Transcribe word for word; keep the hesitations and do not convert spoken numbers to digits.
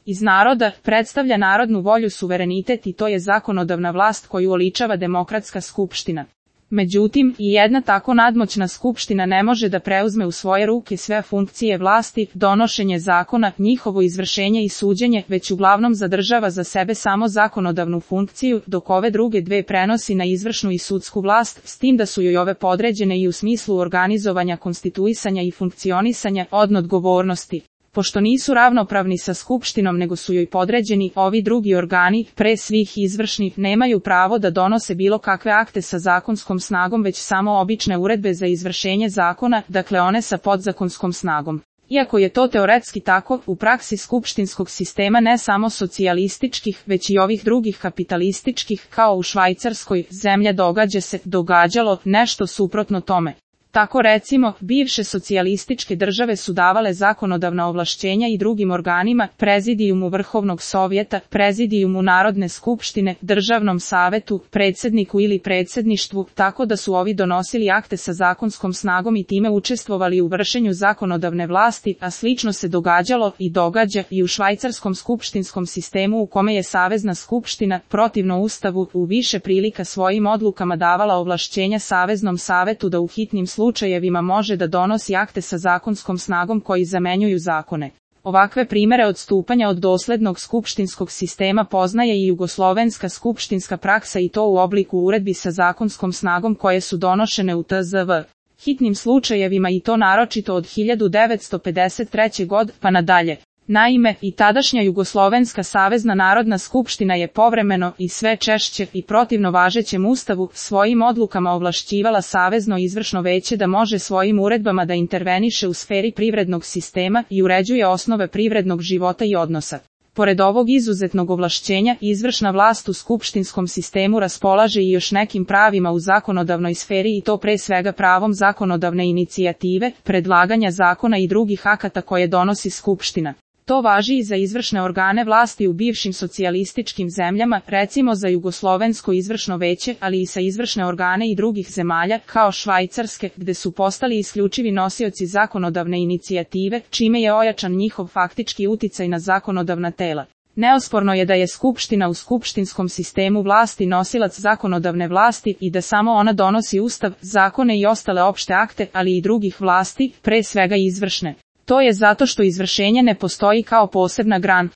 iz naroda, predstavlja narodnu volju, suverenitet i to je zakonodavna vlast koju oličava demokratska skupština. Međutim, i jedna tako nadmoćna skupština ne može da preuzme u svoje ruke sve funkcije vlasti, donošenje zakona, njihovo izvršenje i suđenje, već uglavnom zadržava za sebe samo zakonodavnu funkciju, dok ove druge dve prenosi na izvršnu i sudsku vlast, s tim da su joj ove podređene i u smislu organizovanja, konstituisanja i funkcionisanja, od odgovornosti. Pošto nisu ravnopravni sa skupštinom nego su joj podređeni, ovi drugi organi, pre svih izvršnih, nemaju pravo da donose bilo kakve akte sa zakonskom snagom, već samo obične uredbe za izvršenje zakona, dakle one sa podzakonskom snagom. Iako je to teoretski tako, u praksi skupštinskog sistema ne samo socijalističkih, već i ovih drugih kapitalističkih, kao u Švajcarskoj, zemlja događa se, događalo, nešto suprotno tome. Tako recimo, bivše socijalističke države su davale zakonodavna ovlašćenja i drugim organima, prezidijumu Vrhovnog sovjeta, prezidijumu Narodne skupštine, Državnom savetu, predsjedniku ili predsjedništvu, tako da su ovi donosili akte sa zakonskom snagom i time učestvovali u vršenju zakonodavne vlasti, a slično se događalo i događa i u švajcarskom skupštinskom sistemu u kome je Savezna skupština, protivno Ustavu, u više prilika svojim odlukama davala ovlašćenja Saveznom savetu da u hitnim slučajevima može da donosi akte sa zakonskom snagom koji zamenjuju zakone. Ovakve primere odstupanja od doslednog skupštinskog sistema poznaje i jugoslovenska skupštinska praksa i to u obliku uredbi sa zakonskom snagom koje su donošene u T Z V hitnim slučajevima i to naročito od hiljadu devetsto pedeset treće. godine pa nadalje. Naime, i tadašnja Jugoslovenska savezna narodna skupština je povremeno i sve češće i protivno važećem ustavu svojim odlukama ovlašćivala Savezno izvršno veće da može svojim uredbama da interveniše u sferi privrednog sistema i uređuje osnove privrednog života i odnosa. Pored ovog izuzetnog ovlašćenja, izvršna vlast u skupštinskom sistemu raspolaže i još nekim pravima u zakonodavnoj sferi i to pre svega pravom zakonodavne inicijative, predlaganja zakona i drugih akata koje donosi skupština. To važi i za izvršne organe vlasti u bivšim socijalističkim zemljama, recimo za Jugoslovensko izvršno veće, ali i sa izvršne organe i drugih zemalja, kao Švajcarske, gde su postali isključivi nosioci zakonodavne inicijative, čime je ojačan njihov faktički uticaj na zakonodavna tela. Neosporno je da je skupština u skupštinskom sistemu vlasti nosilac zakonodavne vlasti i da samo ona donosi ustav, zakone i ostale opšte akte, ali i drugih vlasti, pre svega izvršne. To je zato što izvršenje ne postoji kao posebna grana.